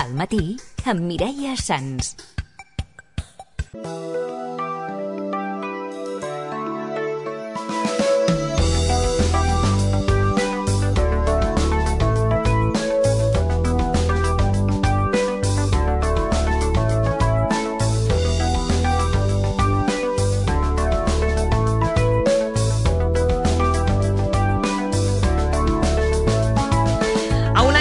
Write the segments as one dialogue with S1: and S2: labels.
S1: Al matí, amb Mireia Sans.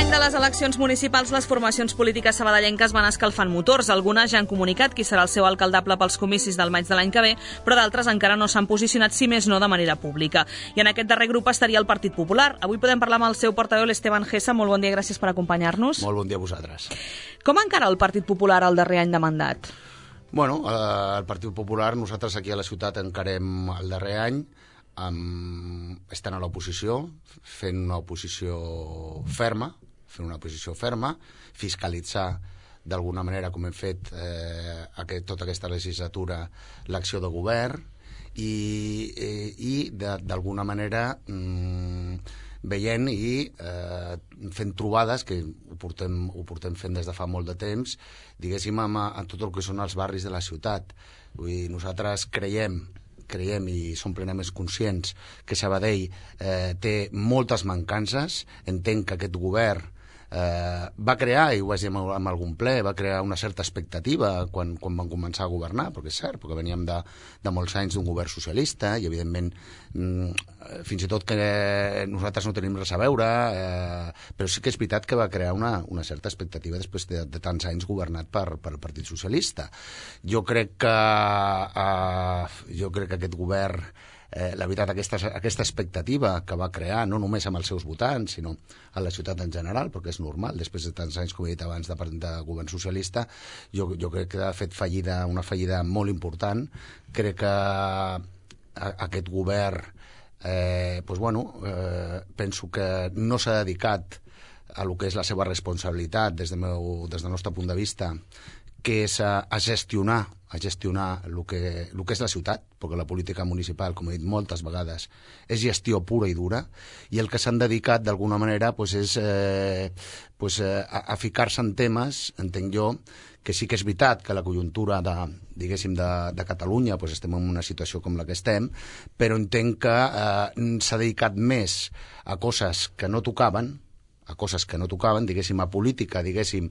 S2: A les eleccions municipals, les formacions polítiques sabadellenques van escalfant motors. Algunes ja han comunicat qui serà el seu alcaldable pels comicis del maig de l'any que ve, però d'altres encara no s'han posicionat, si més no de manera pública. I en aquest darrer grup estaria el Partit Popular. Avui podem parlar amb el seu portaveu, l'Esteban Gessa. Molt bon dia, gràcies per acompanyar-nos.
S3: Molt bon dia a vosaltres.
S2: Com encara el Partit Popular el darrer any de mandat?
S3: Bueno, el Partit Popular, nosaltres aquí a la ciutat encarem el darrer any estant a l'oposició, fent una oposició ferma, fiscalitzar d'alguna manera, com hem fet tota aquesta legislatura, l'acció de govern i d'alguna manera veient i fent trobades, que ho portem fent des de fa molt de temps, diguéssim, en tot el que són els barris de la ciutat. Vull dir, nosaltres creiem i som plenament conscients que Sabadell té moltes mancances. Entenc que aquest govern va crear, i ho vaig dir en algun ple, va crear una certa expectativa quan van començar a governar, perquè és cert, perquè veníem de molts anys d'un govern socialista i evidentment fins i tot que nosaltres no tenim res a veure, però sí que és veritat que va crear una certa expectativa després de tants anys governat per el Partit Socialista. Jo crec que aquest govern, la veritat, aquesta expectativa que va crear, no només amb els seus votants, sinó a la ciutat en general, perquè és normal, després de tants anys, com he dit abans, de govern socialista, jo crec que ha fet una fallida molt important. Crec que aquest govern, penso que no s'ha dedicat a lo que és la seva responsabilitat des del nostre punt de vista, que és a gestionar el que és la ciutat, perquè la política municipal, com he dit moltes vegades, és gestió pura i dura, i el que s'han dedicat d'alguna manera és a ficar-se en temes, entenc jo, que sí que és veritat que la conjuntura de Catalunya estem en una situació com la que estem, però entenc que s'ha dedicat més a coses que no tocaven, diguéssim, a política, diguéssim,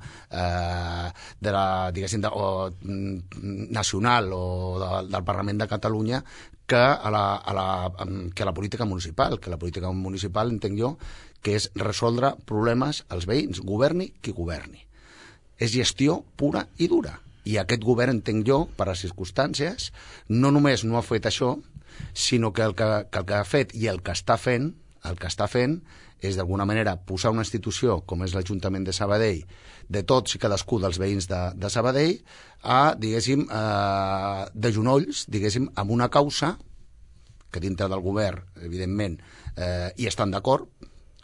S3: nacional o del Parlament de Catalunya, que a la política municipal. Que la política municipal, entenc jo, que és resoldre problemes als veïns, governi qui governi. És gestió pura i dura. I aquest govern, entenc jo, per les circumstàncies, no només no ha fet això, sinó que el que ha fet i el que està fent és d'alguna manera posar una institució com és l'Ajuntament de Sabadell, de tots i cadascú dels veïns de Sabadell, de genolls, diguéssim, amb una causa que dintre del govern, evidentment, hi estan d'acord.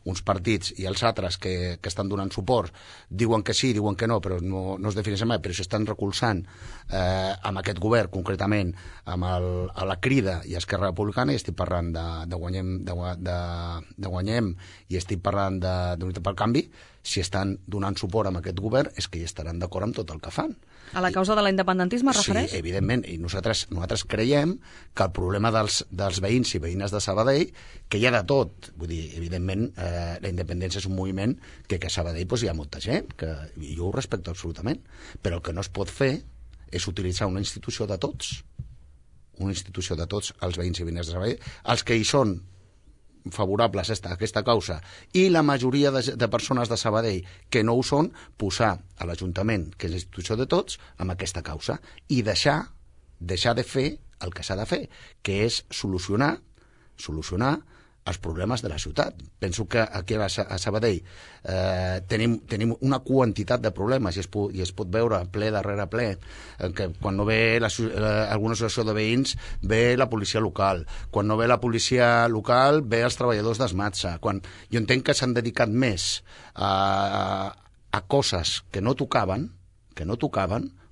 S3: Uns partits i els altres que estan donant suport diuen que sí, diuen que no, però no es defineixen mai, però s'estan recolzant amb aquest govern, concretament amb la Crida i Esquerra Republicana, i estic parlant de Guanyem i estic parlant d'Unitat pel Canvi. Si estan donant suport amb aquest govern és que hi estaran d'acord amb tot el que fan.
S2: A la causa de l'independentisme es refereix?
S3: Sí, evidentment, i nosaltres creiem que el problema dels veïns i veïnes de Sabadell, que hi ha de tot, vull dir, evidentment, la independència és un moviment que a Sabadell hi ha molta gent, i jo ho respecto absolutament, però el que no es pot fer és utilitzar una institució de tots, els veïns i veïnes de Sabadell, els que hi són favorables a aquesta causa, i la majoria de persones de Sabadell que no ho són, posar a l'Ajuntament, que és la institució de tots, amb aquesta causa, i deixar de fer el que s'ha de fer, que és solucionar els problemes de la ciutat. Penso que aquí a Sabadell tenim una quantitat de problemes i es pot veure ple darrere ple, que quan no ve alguna associació de veïns ve la policia local, quan no ve la policia local ve els treballadors d'Esmatsa. Jo entenc que s'han dedicat més a coses que no tocaven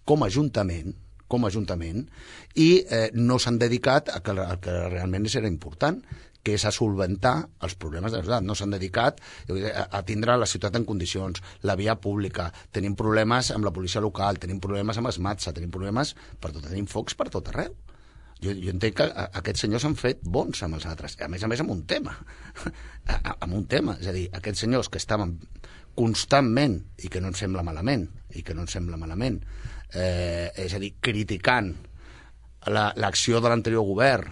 S3: com a Ajuntament i no s'han dedicat a que realment era important, que és a solventar els problemes de la ciutat. No s'han dedicat a tindre la ciutat en condicions, la via pública, tenim problemes amb la policia local, tenim problemes amb Esmatsa, tenim problemes per tot, tenim focs per tot arreu. Jo entenc que aquests senyors s'han fet bons amb els altres, a més amb un tema. Amb un tema. És a dir, aquests senyors que estaven constantment, i que no ens sembla malament, és a dir, criticant l'acció de l'anterior govern,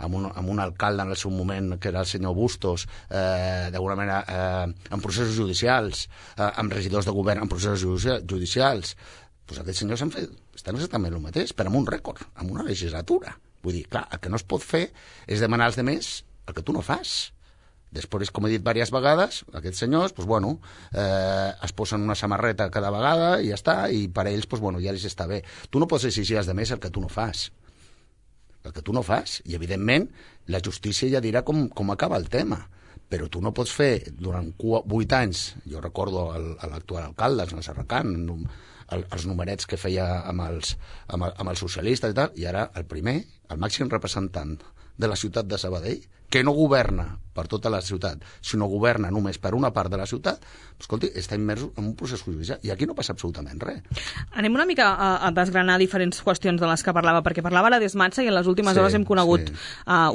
S3: amb un alcalde en el seu moment, que era el senyor Bustos, d'alguna manera en processos judicials, amb regidors de govern en processos judicials, doncs aquests senyors estan exactament el mateix, però amb un rècord, amb una legislatura. Vull dir, clar, el que no es pot fer és demanar als altres el que tu no fas. Després, com he dit diverses vegades, aquests senyors, doncs, bueno, es posen una samarreta cada vegada i ja està, i per ells, doncs, bueno, ja els està bé. Tu no pots exigir als altres el que tu no fas. El que tu no fas. I, evidentment, la justícia ja dirà com acaba el tema. Però tu no pots fer, durant 8 anys, jo recordo l'actual alcalde, el Serracant, els numerets que feia amb els socialistes i tal, i ara el primer, el màxim representant de la ciutat de Sabadell, que no governa per tota la ciutat, sinó governa només per una part de la ciutat, escolti, està immers en un procés judicial, i aquí no passa absolutament res.
S2: Anem una mica a desgranar diferents qüestions de les que parlava, perquè parlava la d'Esmatsa i en les últimes hores hem conegut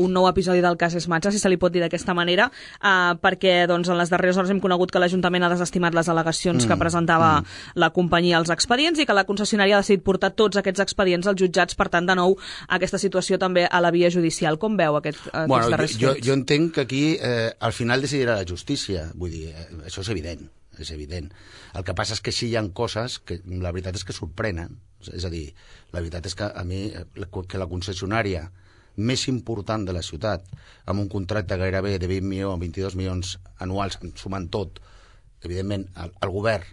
S2: un nou episodi del cas Esmatsa, si se li pot dir d'aquesta manera, perquè doncs, en les darreres hores hem conegut que l'Ajuntament ha desestimat les al·legacions que presentava la companyia als expedients i que la concessionària ha decidit portar tots aquests expedients als jutjats, per tant, de nou, aquesta situació també a la via judicial. Com veu aquests darrers fets?
S3: Jo entenc que aquí al final decidirà la justícia, vull dir, això és evident. És evident. El que passa és que sí hi ha coses que la veritat és que sorprenen. És a dir, la veritat és que a mi que la concessionària més important de la ciutat, amb un contracte gairebé de 20 milions, 22 milions anuals, sumant tot, evidentment el govern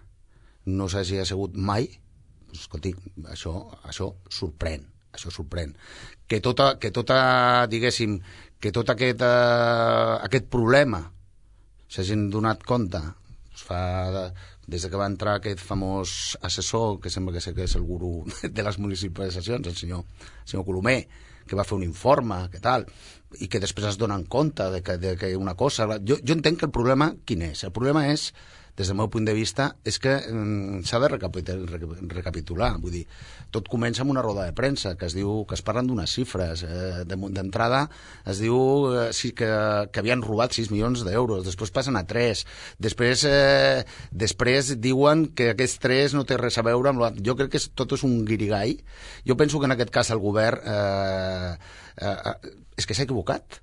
S3: no s'hagi assegut mai, doncs, escolti, això sorprèn. Això sorprèn. Que diguéssim, que tot aquest problema s'hagin donat compte des que va entrar aquest famós assessor, que sembla que és el gurú de les municipalitzacions, el senyor Colomer, que va fer un informe, que tal, i que després es donen compte de que una cosa... Jo entenc que el problema quin és? El problema és, des del meu punt de vista, és que s'ha de recapitular. Vull dir, tot comença amb una roda de premsa que es parlen d'unes xifres. D'entrada es diu que havien robat 6 milions d'euros, després passen a 3, després diuen que aquests 3 no té res a veure amb... Jo crec que tot és un guirigall. Jo penso que en aquest cas el govern és que s'ha equivocat.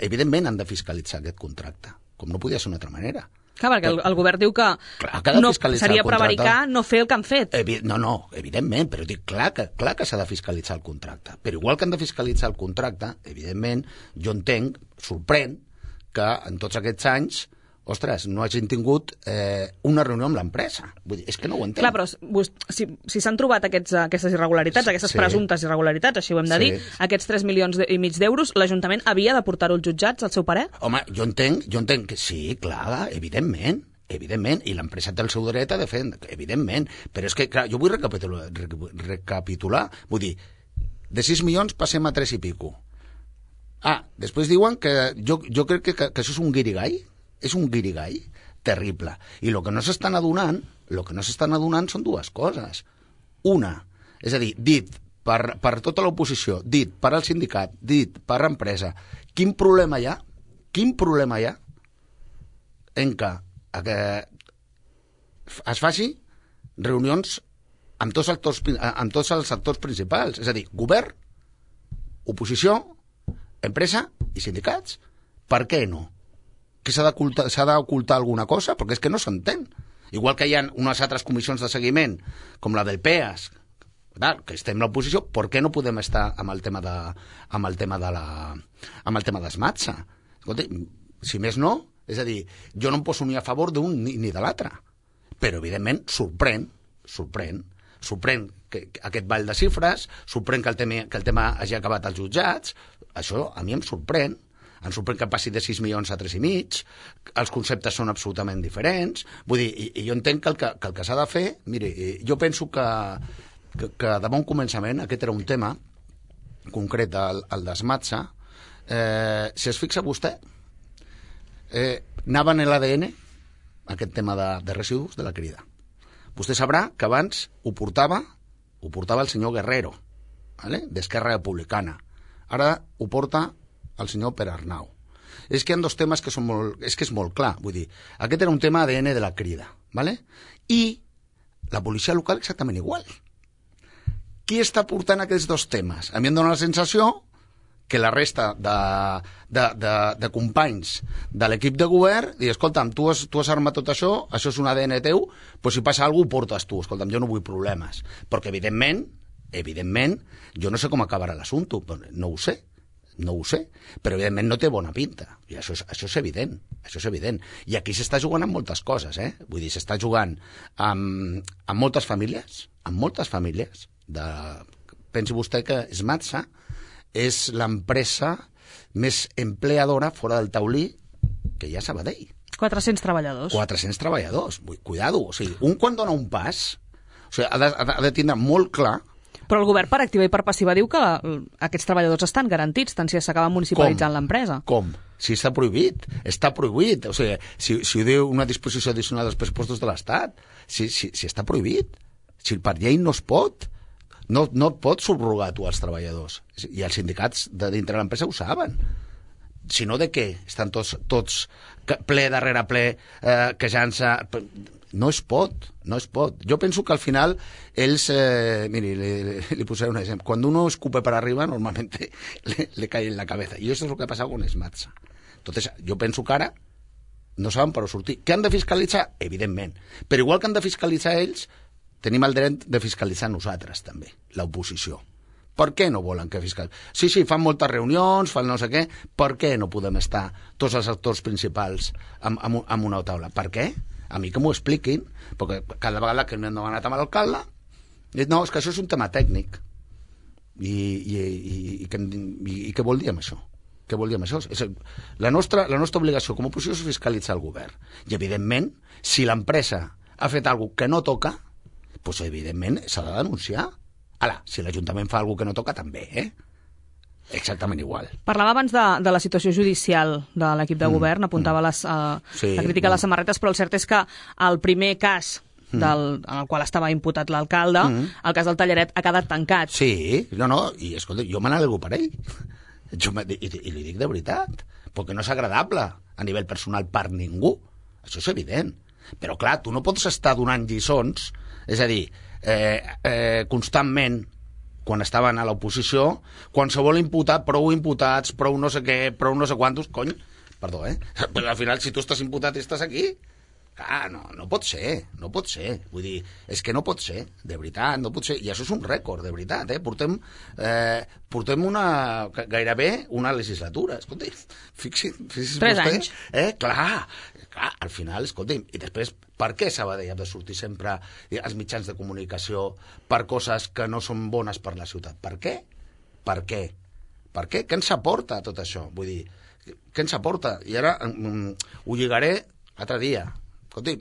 S3: Evidentment han de fiscalitzar aquest contracte, com no podia ser d'una altra manera.
S2: Clar, perquè el govern diu que no seria prevaricar no fer el que han fet.
S3: No, evidentment, però dic clar que s'ha de fiscalitzar el contracte. Però igual que han de fiscalitzar el contracte, evidentment, jo entenc, sorprèn, que en tots aquests anys, ostres, no hagin tingut una reunió amb l'empresa. Vull dir, és que no ho entenc.
S2: Clar, però si s'han trobat aquestes irregularitats, aquestes presumptes irregularitats, així ho hem de dir, aquests 3,5 milions d'euros, l'Ajuntament havia de portar-ho als jutjats, al seu parer?
S3: Home, jo entenc que sí, clar, evidentment, i l'empresa té el seu dret a defendre, evidentment, però és que, clar, jo vull recapitular, vull dir, de 6 milions passem a 3 i pico. Després diuen que jo crec que això és un guirigall, és un guirigall terrible. I el que no s'estan adonant són dues coses. Una, és a dir, dit per tota l'oposició, dit per al sindicat, dit per l'empresa, quin problema hi ha en que es faci reunions amb tots els actors principals, és a dir, govern, oposició, empresa i sindicats. Per què no? Que s'ha d'ocultar alguna cosa? Perquè és que no s'entén. Igual que hi ha unes altres comissions de seguiment, com la del PEAS, que estem a l'oposició, per què no podem estar amb el tema d'Esmatsa? Escolta, si més no, és a dir, jo no em poso ni a favor d'un ni de l'altre. Però, evidentment, sorprèn que aquest ball de xifres, sorprèn que el tema hagi acabat als jutjats, això a mi em sorprèn. Em sorprèn que passi de 6 milions a 3,5, els conceptes són absolutament diferents. Vull dir, i jo entenc que el que s'ha de fer... Miri, jo penso que de bon començament aquest era un tema concret, el d'Esmatsa, si es fixa vostè, anava en l'ADN aquest tema de residus de la crida. Vostè sabrà que abans ho portava el senyor Guerrero, ¿vale? d'Esquerra Republicana. Ara ho porta el senyor Pere Arnau. És que hi ha dos temes que són molt... És que és molt clar, vull dir, aquest era un tema ADN de la crida, ¿vale? I la policia local exactament igual. Qui està portant aquests dos temes? A mi em dóna la sensació que la resta de companys de l'equip de govern diu, escolta'm, tu has armat tot això és un ADN teu, però si passa alguna cosa ho portes tu, escolta'm, jo no vull problemes. Perquè evidentment, jo no sé com acabarà l'assumpte, no ho sé, però evidentment no té bona pinta, i això és evident, I aquí s'està jugant amb moltes coses, vull dir, s'està jugant amb moltes famílies, pensi vostè que Smatsa és l'empresa més empleadora fora del taulí que hi ha a Sabadell.
S2: 400 treballadors.
S3: 400 treballadors, cuidado, o sigui, un quan dona un pas, o sigui, ha de tindre molt clar.
S2: Però el govern per activa i per passiva diu que aquests treballadors estan garantits, tant si s'acaba municipalitzant l'empresa.
S3: Com? Si està prohibit. O sigui, si ho diu una disposició addicional dels pressupostos de l'Estat, si està prohibit, si per llei no es pot, no et pots subrogar tu als treballadors. I els sindicats de dintre de l'empresa ho saben. Si no, de què? Estan tots ple darrere ple, quejant-se... No es pot. Jo penso que al final ells... miri, li posaré un exemple. Quan uno escupe per arriba, normalmente le cae en la cabeza. I això és el que ha passat con Smatsa. Entonces, jo penso que ara no saben per on sortir. Què han de fiscalitzar? Evidentment. Però igual que han de fiscalitzar ells, tenim el dret de fiscalitzar nosaltres, també, l'oposició. Per què no volen que fiscalitzin? Sí, fan moltes reunions, fan no sé què. Per què no podem estar tots els actors principals en una taula? Per què? A mi que m'ho expliquin, perquè cada vegada que m'han demanat amb l'alcalde, dic, no, és que això és un tema tècnic. I què vol dir amb això? Què vol dir amb això? La nostra obligació com a oposició és fiscalitzar el govern. I, evidentment, si l'empresa ha fet alguna cosa que no toca, doncs, evidentment, s'ha de denunciar. Ara, si l'Ajuntament fa alguna cosa que no toca, també, Exactament igual.
S2: Parlava abans de la situació judicial de l'equip de govern, apuntava la crítica a les samarretes, però el cert és que el primer cas en el qual estava imputat l'alcalde, el cas del Tallaret, ha quedat tancat.
S3: Sí, i escolta, jo me n'alegro per ell. I li dic de veritat, perquè no és agradable a nivell personal per ningú. Això és evident. Però clar, tu no pots estar donant lliçons, és a dir, constantment, quan estaven a l'oposició, qualsevol imputat, prou imputats, prou no sé què, prou no sé quantos, cony, perdó, però al final si tu estàs imputat i estàs aquí, clar, no pot ser, vull dir, és que no pot ser, de veritat, no pot ser, i això és un rècord, de veritat, portem gairebé una legislatura, escolti, fixi's
S2: 3 anys.
S3: Clar, al final, escolti'm, i després, per què Sabadell ha de sortir sempre als mitjans de comunicació per coses que no són bones per la ciutat? Per què? Què ens aporta tot això? Vull dir, què ens aporta? I ara ho lligaré l'altre dia. Escolti'm,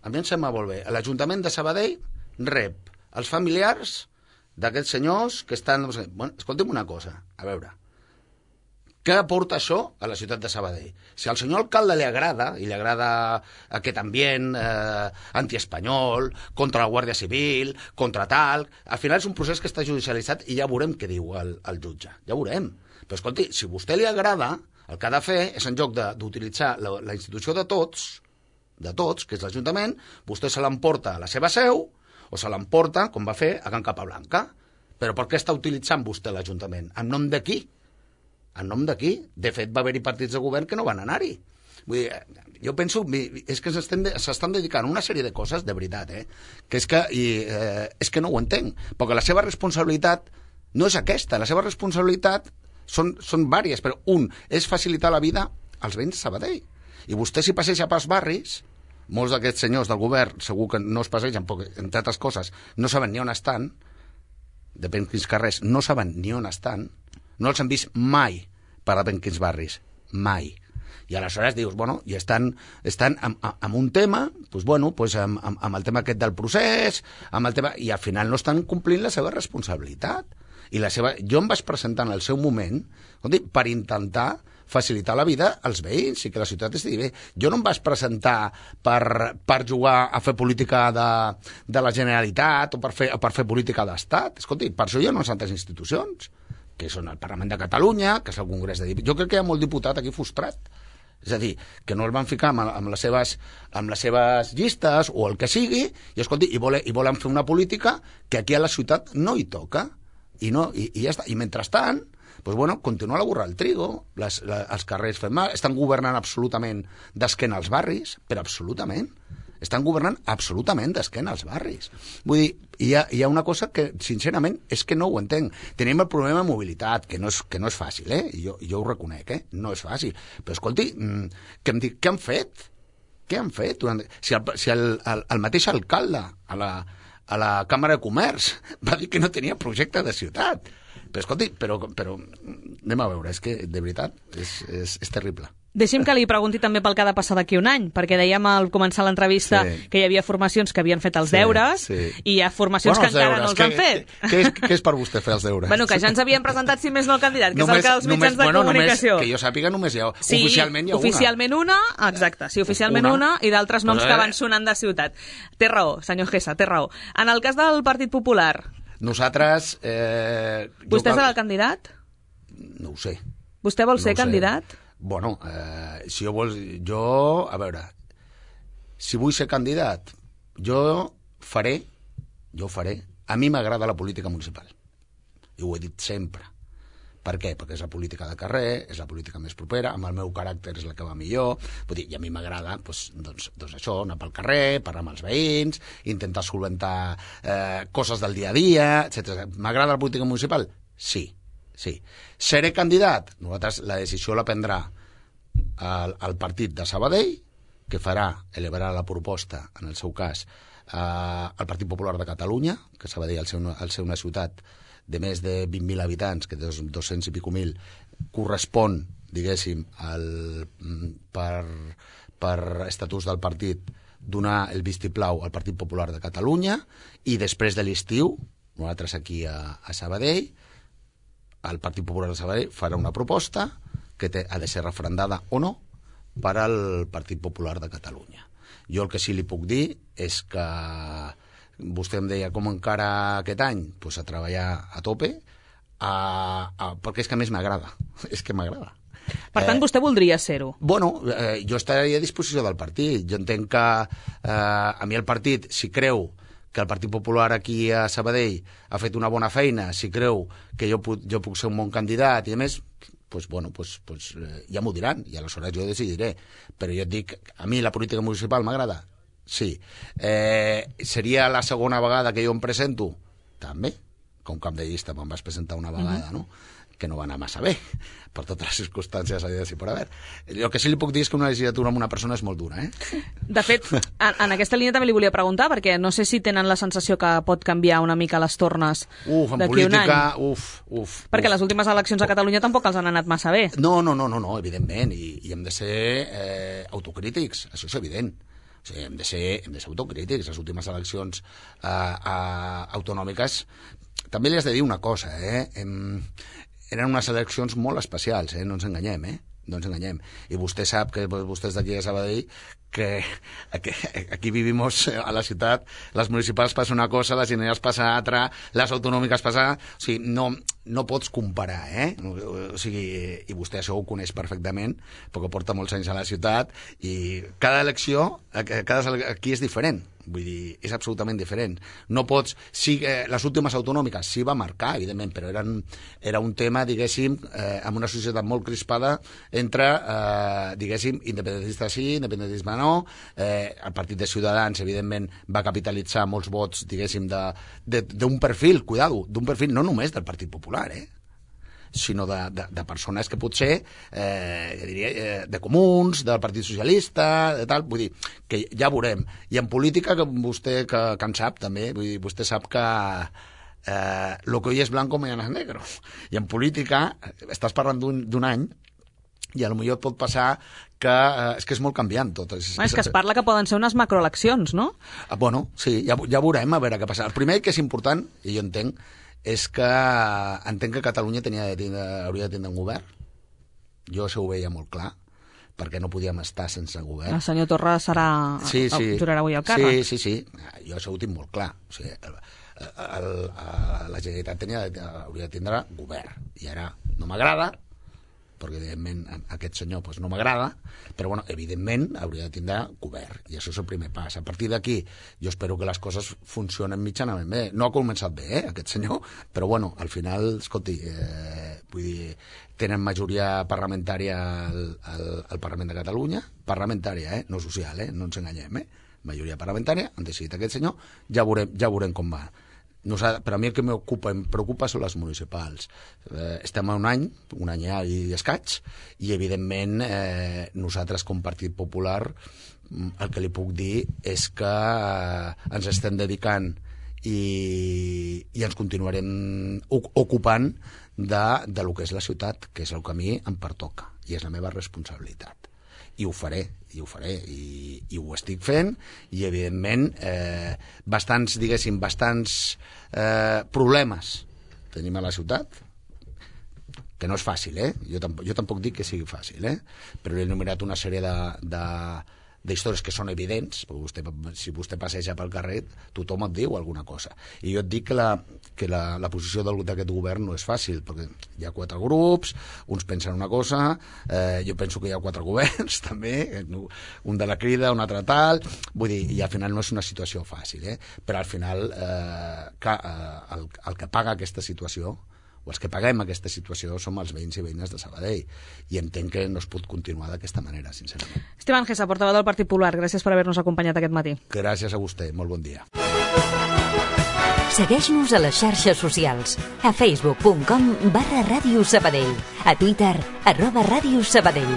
S3: a mi em sembla molt bé. L'Ajuntament de Sabadell rep els familiars d'aquests senyors que estan... Bueno, escolti'm una cosa, a veure... Què aporta això a la ciutat de Sabadell? Si al senyor alcalde li agrada, i li agrada aquest ambient antiespanyol, contra la Guàrdia Civil, contra tal... Al final és un procés que està judicialitzat i ja veurem què diu el jutge. Ja veurem. Però, escolti, si a vostè li agrada, el que ha de fer és, en lloc d'utilitzar la institució de tots, que és l'Ajuntament, vostè se l'emporta a la seva seu o se l'emporta, com va fer, a Can Capablanca. Però per què està utilitzant vostè l'Ajuntament? En nom de qui? En nom de qui? De fet, va haver-hi partits de govern que no van anar-hi. Vull dir, jo penso, és que s'estan dedicant a una sèrie de coses, de veritat, que és que no ho entenc, perquè la seva responsabilitat no és aquesta, la seva responsabilitat són diverses, però un és facilitar la vida als veïns de Sabadell. I vostè si passeja pels barris, molts d'aquests senyors del govern segur que no es passegen, perquè, entre altres coses, no saben ni on estan, depèn quins carrers, no saben ni on estan, no els han vist mai per a quins barris, mai. I aleshores dius, bueno, i estan amb un tema, doncs, bueno, doncs amb el tema aquest del procés, amb el tema, i al final no estan complint la seva responsabilitat. Jo em vaig presentar en el seu moment per intentar facilitar la vida als veïns i que la ciutat estigui bé. Jo no em vaig presentar per jugar a fer política de la Generalitat o per fer política d'Estat. Escolti, per això hi ha unes altres institucions, que són el Parlament de Catalunya, que és el Congrés de Diputats. Jo crec que hi ha molt diputat aquí frustrat. És a dir, que no el van ficar amb les seves llistes o el que sigui, i escolti, i volen fer una política que aquí a la ciutat no hi toca. I ja està. I mentrestant, doncs, bueno, continua la burra al trigo, els carrers fent mal, estan governant absolutament d'esquena als barris, però absolutament. Estan governant absolutament d'esquena als barris. Vull dir, hi ha una cosa que, sincerament, és que no ho entenc. Tenim el problema de mobilitat, que no és fàcil, jo ho reconec, no és fàcil. Però, escolti, què han fet? Què han fet? Si el mateix alcalde a la Càmera de Comerç va dir que no tenia projecte de ciutat. Però, escolti, però anem a veure, és que, de veritat, és terrible.
S2: Deixi'm que li pregunti també pel que ha de passar d'aquí un any, perquè dèiem al començar l'entrevista que hi havia formacions que havien fet els deures i hi ha formacions que encara no els han fet.
S3: Què és per vostè fer els deures?
S2: Bueno, que ja ens havien presentat, si més no, el candidat, que és el que els mitjans de comunicació.
S3: Que jo sàpiga, només hi ha oficialment hi ha una.
S2: Oficialment una, exacte, sí, oficialment una i d'altres noms que van sonant de ciutat. Té raó, senyor Gessa, té raó. En el cas del Partit Popular...
S3: Nosaltres...
S2: Vostè serà el candidat?
S3: No ho sé.
S2: Vostè vol ser candidat?
S3: Bueno, si a veure, si vull ser candidat, jo faré. A mi m'agrada la política municipal. I ho he dit sempre. Per què? Perquè és la política de carrer, és la política més propera, amb el meu caràcter és la que va millor, vull dir, i a mi m'agrada doncs això, anar pel carrer, parlar amb els veïns, intentar solventar coses del dia a dia, etc. M'agrada la política municipal? Sí. Seré candidat? Nosaltres la decisió la prendrà el partit de Sabadell, que elevarà la proposta, en el seu cas, al Partit Popular de Catalunya, que Sabadell, al ser una ciutat de més de 20.000 habitants, que de 200 i pico mil, correspon, diguéssim, per estatuts del partit, donar el vistiplau al Partit Popular de Catalunya, i després de l'estiu, nosaltres aquí a Sabadell, el Partit Popular de Sabadell farà una proposta que ha de ser referendada o no per al Partit Popular de Catalunya. Jo el que sí li puc dir és que vostè em deia com encara aquest any, doncs a treballar a tope, perquè és que a més m'agrada, és que m'agrada.
S2: Per tant, vostè voldria ser-ho?
S3: Bueno, jo estaria a disposició del partit. Jo entenc que a mi el partit, si creu que el Partit Popular aquí a Sabadell ha fet una bona feina, si creu que jo puc ser un bon candidat i a més, ja m'ho diran i aleshores jo decidiré. Però jo et dic, a mi la política municipal m'agrada? Sí. Seria la segona vegada que jo em presento? També. Com cap de llista me'n vas presentar una vegada, no? Que no va anar massa bé, per totes les circumstàncies haver-hi per haver. El que sí li puc dir és que una legislatura amb una persona és molt dura,
S2: De fet, en aquesta línia també li volia preguntar, perquè no sé si tenen la sensació que pot canviar una mica les tornes d'aquí un any. Perquè les últimes eleccions a Catalunya tampoc els han anat massa bé.
S3: No, evidentment, i hem de ser autocrítics, això és evident. O sigui, hem de ser autocrítics. Les últimes eleccions autonòmiques, també li has de dir una cosa, eren unes eleccions molt especials, no ens enganyem, no ens enganyem. I vostè sap, que vostè és d'aquí a Sabadell, que aquí vivimos a la ciutat, les municipals passa una cosa, les generals passa altra, les autonòmiques passa... O sigui, no pots comparar, O sigui, i vostè això ho coneix perfectament, perquè porta molts anys a la ciutat, i cada elecció aquí és diferent. Vull dir, és absolutament diferent. No pots... Sí, les últimes autonòmiques sí va marcar, evidentment, però era un tema, diguéssim, amb una societat molt crispada entre, diguéssim, independentistes sí, independentisme no. El partit de Ciutadans, evidentment, va capitalitzar molts vots, diguéssim, d'un perfil, cuidado, d'un perfil no només del Partit Popular, sinó de persones que potser, diria, de comuns, del Partit Socialista, de tal, vull dir, que ja veurem. I en política, que vostè que en sap també, vull dir, vostè sap que lo que hoy es blanco mañana es negro. I en política estàs parlant d'un any i potser et pot passar que és que és molt canviant tot.
S2: És que es parla que poden ser unes macroeleccions, no?
S3: Bueno, sí, ja veurem a veure què passa. El primer que és important, i jo entenc, és que entenc que Catalunya hauria de tindre un govern. Jo això ho veia molt clar, perquè no podíem estar sense govern.
S2: El senyor Torra jurarà avui el càrrec.
S3: Sí. Jo això ho tinc molt clar. O sigui, la Generalitat hauria de tindre govern. I ara no m'agrada, perquè evidentment aquest senyor no m'agrada, però evidentment hauria de tindre govern, i això és el primer pas. A partir d'aquí jo espero que les coses funcionen mitjanament bé. No ha començat bé, aquest senyor, però al final, escolti, vull dir, tenen majoria parlamentària al Parlament de Catalunya, parlamentària, no social, no ens enganyem, majoria parlamentària, han decidit aquest senyor, ja veurem com va. Per a mi el que em preocupa són les municipals. Estem a un any i escaig, i evidentment nosaltres com Partit Popular el que li puc dir és que ens estem dedicant i ens continuarem ocupant de lo que és la ciutat, que és el que a mi em pertoca i és la meva responsabilitat. I ho faré, i ho estic fent, i evidentment bastants problemes tenim a la ciutat, que no és fàcil, jo tampoc dic que sigui fàcil, però he enumerat una sèrie d'històries que són evidents, perquè si vostè passeja pel carrer tothom et diu alguna cosa, i jo et dic que la posició d'aquest govern no és fàcil, perquè hi ha 4 grups, uns pensen una cosa, jo penso que hi ha 4 governs també, un de la Crida, un altre tal, vull dir, i al final no és una situació fàcil, però al final el que paga aquesta situació, o els que paguem aquesta situació, som els veïns i veïnes de Sabadell, i entenc que no es pot continuar d'aquesta manera, sincerament.
S2: Esteban Gesa, portaveu del Partit Popular, gràcies per haver-nos acompanyat aquest matí.
S3: Gràcies a vostè, molt bon dia.
S1: Segueix-nos a les xarxes socials, a facebook.com/Ràdio Sabadell, a Twitter @Ràdio Sabadell.